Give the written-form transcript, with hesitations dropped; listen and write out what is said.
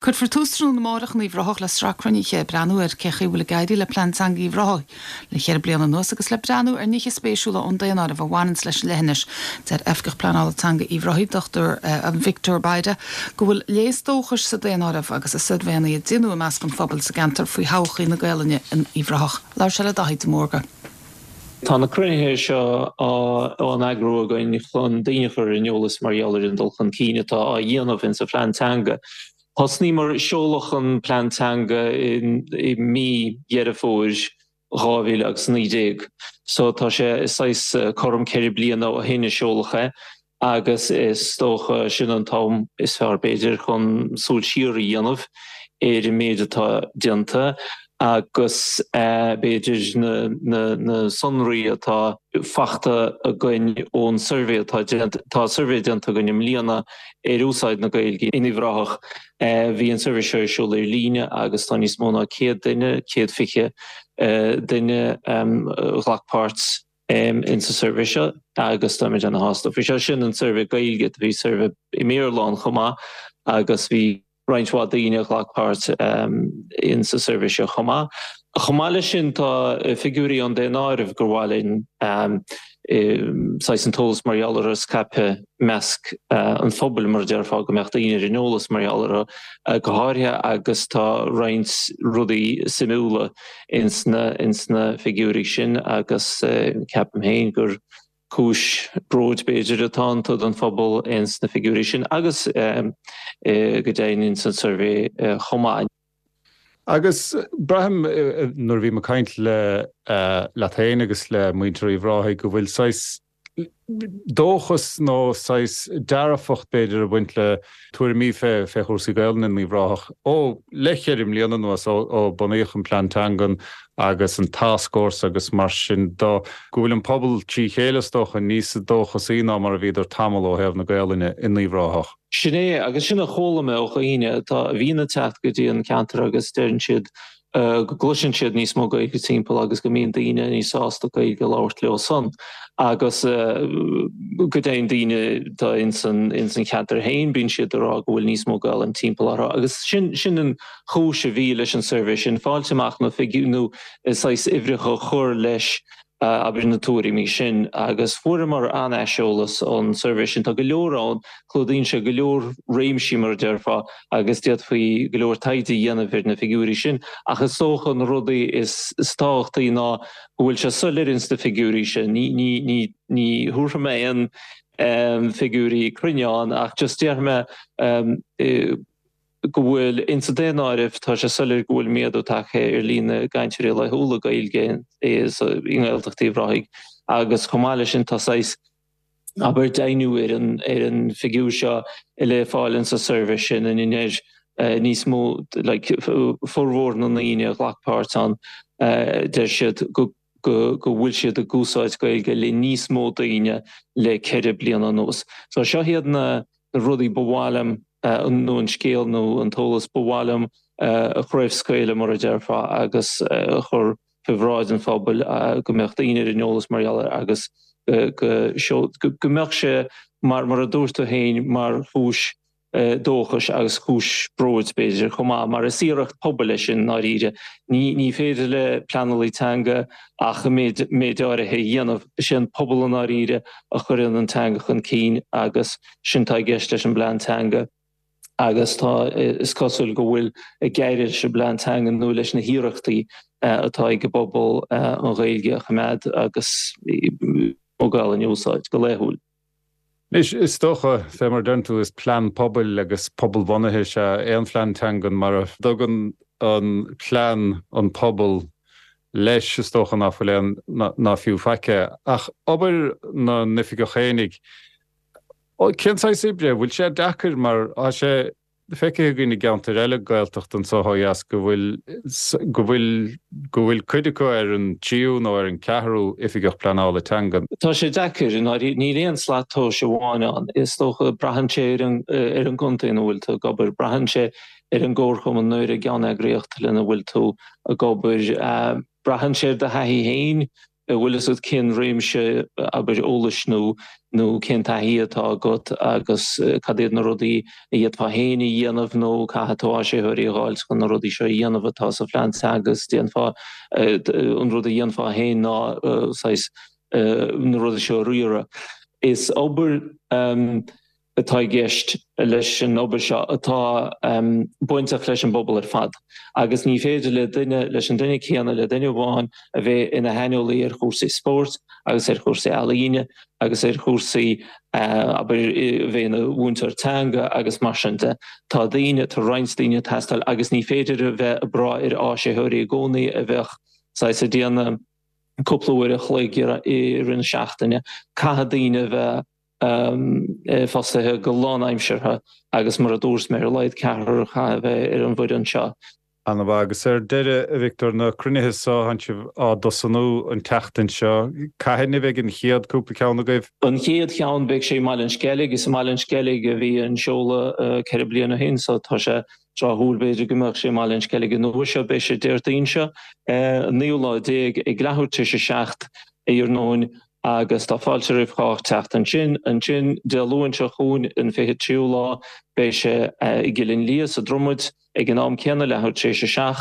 Cuirfear tús tráthnóna amárach in Uíbh Ráthach le sraith cruinnithe ag breathnú ar cé chaoi a bhfuil ag éirí le Plean Teanga Uíbh Ráthaigh le cheithre bliana anuas agus le breathnú ar nithe spéisiúla ón daonáireamh a bhaineanns leis an leithinis. Deir Oifigeach Pleanála Teanga Uíbh Ráthaigh, Dr Victor Bayda, go bhfuil léas dóchais sa daonáireamh agus i suirbhéanna a déanadh i measc an phobail sa gceantar faoi thodhchaí na Gaelainne in Uíbh Ráthach. Labhair sé le Daithí de Mórdha. Tá na cruinnithe seo á n-eagrú againn chun daoine a chur ar an eolas mar gheall ar an dul chun cinn atá á dhéanamh insa phlean teanga. Thosnaíomar, seoladh an plean teanga i mí Dheireadh Fómhair 2019 so tá sé saghas cothrom 4 bliana ó shin a seoladh é agus is dócha sin an t-am is fearr b'fhéidir chun súil siar a dhéanamh ar an méid atá déanta agus b'fhéidir na sonraí atá fachta againn ón suirbhé atá déanta, tá suirbhé déanta againn i mbliana ar úsáid na Gaeilge in Uíbh Ráthach. Bhí an suirbhé seo ar siúl ar líne agus tá níos mó ná 100 duine, 120 duine a ghlac páirt. insa suirbhé seo agus táimid ana-shásta faoi seo. Sin an suirbhé Gaeilge, bhí suirbhé i mBéarla ann chomh maith agus bhí roinnt mhaith daoine a ghlac páirt insa suirbhé seo chomh maith. Chomh maith leis sin tá figiúirí ón daonáireamh gur mhaith linn saghas an t-eolas mar gheall orthu a scaipeadh i measc an phobail mar a déarfá, go mbeadh daoine ar an eolas mar gheall orthu go háirithe agus tá roinnt rudaí suimiúla ins na ins na figiúirí sin agus ceapaim féin gur cúis bróid b'fhéidir atá iontu don phobal ins na figiúirí sin agus go deimhin ins an suirbhé chomh maith. Agus braithim nuair a bhím ag caint le leat féin agus le muintir Uíbh Ráthaigh go bhfuil saghas dóchas nó saghas dearfacht, b'fhéidir, ag baint le tuairimí fé chúrsaí Gaelainne in Uíbh Ráthach ó le cheithre mbliana anuas, ó bunaíodh an Plean Teangan agus an Tascfhórsa agus mar sin de, go bhfuil an pobal trí chéile, is dócha, níos dóchasaí ná mar a bhíodar tamall ó thaobh na Gaelainne in Uíbh Ráthach. Sin é, agus sin a chuala mé ó dhaoine atá, a bhíonn ag teacht go dtí an ceantar agus deireann siad go gcloiseann siad níos mó Gaeilge timpeall agus go mbíonn daoine níos sásta Gaeilge a labhairt leo san agus go deimhin daoine atá ins an ins an cheantar féin bíonn siad ag rá go bhfuil níos mó Gaelainn timpeall orthu agus sin sin an chúis a bhí leis an suirbhé sin, fáilt amach na figiúirí nó saghas uimhreacha a chur leis abair na tuairimí sin agus fuaireamar an-aiseolas ón suirbhé sin. Tá go leor ann, clúdaíonn sé go leor réimsí mar a déarfá agus d'fhéadfaí go leor taighde a dhéanamh ar na figiúirí sin ach is dócha na rudaí is tábhachtaí ná go bhfuil sé soiléir ins na figiúirí sin. Ní, ní, ní, ní thabharfaidh mé aon figiúirí cruinne ann ach just déarfaidh mé go bhfuil, ins an daonáireamh, tá sé soiléir go bhfuil méadú tagtha ar líon na gcainteoirí laethúla Gaeilge i nGaeltacht Uíbh Ráthaigh agus chomh maith leis sin tá saghas, abair, deimhniú ar an ar an bhfigiúr seo le fáil insa suirbhé sin ina ndeir níos mó, like, formhór na ndaoine a ghlac páirt ann, deir siad go go go bhfuil siad ag úsáid Gaeilge le níos mó daoine le 4 bliana anuas. So seo iad na na rudaí ba mhaith liom nó an scéal nó an t-eolas ba mhaith liom a chraobhscaoileadh, mar a déarfá, agus a chur faoi bhráid an phobail go mbeadh daoine ar an eolas mar gheall air agus go mbeadh sé, mar a dúirt tú féin, mar chúis dóchais agus cúis bróid, b'fhéidir, chomh maith, mar is iarracht pobail é sin i ndáiríre. Ní féidir le pleanálaí teanga ach an méid méid áirithe a dhéanamh. Is é an pobal i ndáiríre a chuireann an teanga chun cinn agus sin atá i gceist leis an bplean teanga agus tá, is cosúil go bhfuil ag éirí leis an bplean teanga nó leis na hiarrachtaí atá ag an bpobal an Ghaeilge a choimeád agus an Ghaelainn a úsáid go laethúil. Anois, is dócha, fé mar a deireann tú, is plean pobail agus pobalbhunaithe is ea aon phlean teangan. Mar a dtugann an plean an pobal leis, is dócha ná fuil aon, ná fiú faic é. Ach obair na n-oifigeach fhéinig, cén saghas oibre? Bhfuil sé deacair mar tá sé feicthe againn i gceantair eile Gaeltachta anseo ó dheas go bhfuil, go bhfuil, go bhfuil cuid acu ar an tríú nó ar an ceathrú oifigeach pleanála teanga. Tá sé deacair, i ndáiríre. Níl aon slat tomhais amháin ann. Is dócha, braitheann sé ar an, ar an gcontae ina bhfuil tú ag obair, braitheann sé ar an gcomharchumann nó ar an gceanneagraíocht lena bhfuil tú ag obair. Braitheann sé ar do thaithí féin. Bhfuil fhios agat cén réimse, abair, eolais nó nó cén taithí atá agat agus cad iad na rudaí a d'fhéadfá féin a dhéanamh nó caithfidh tú áisitheoirí a dh'fháilt chun na rudaí seo a dhéanamh atá sa phlean teanga agus déanfá an rud a dhéanfá féin ná saghas na rudaí seo a riaradh. Is obair atá i gceist leis an obair seo atá bainteach leis an bpobal ar fad agus ní féidir le duine, leis an duine céanna, le duine amháin a bheith ina shaineolaí ar chúrsaí spóirt agus ar chúrsaí ealaíne agus ar chúrsaí, abair, a bheith ina mhúinteoir teanga agus mar sin de. Tá daoine, tá roinnt daoine ag teastáil agus ní féidir a bheith ag brath ar áisitheoirí i gcónaí a bheadh saghas ag déanamh cúpla uair a chloig i rith na seachtaine. Caithfidh daoine a bheith fostaithe go lánaimseartha agus mar a dúirt mé, ar a laghad ceathrar a chaithfidh a bheith ar an bhfoireann seo. Ana-mhaith. Agus ar deireadh, a Victor, na cruinnithe so, tánn sibh á dtosnú an tseachtain seo. Cathain a bheidh an chéad cúpla ceann agaibh? An chéad cheann, beidh sé i mBaile an Sceilg. Is i mBaile an Sceilg a bhí an seoladh 4 bliana ó shin so tá sé tráthúil b'fhéidir go mbeadh sé i mBaile an Sceilg an uair seo. Beidh sé Déardaoin seo, an naoú lá déag, ag leathuair tar éis a 7 iarnóin agus tá fáilte roimh chách teacht ansin. Ansin, Dé Luain seo chugainn, an 23ú lá, beidh sé i gCill Fhionnliath sa Dromaid ag an am céanna, leathuair tar éis a 7.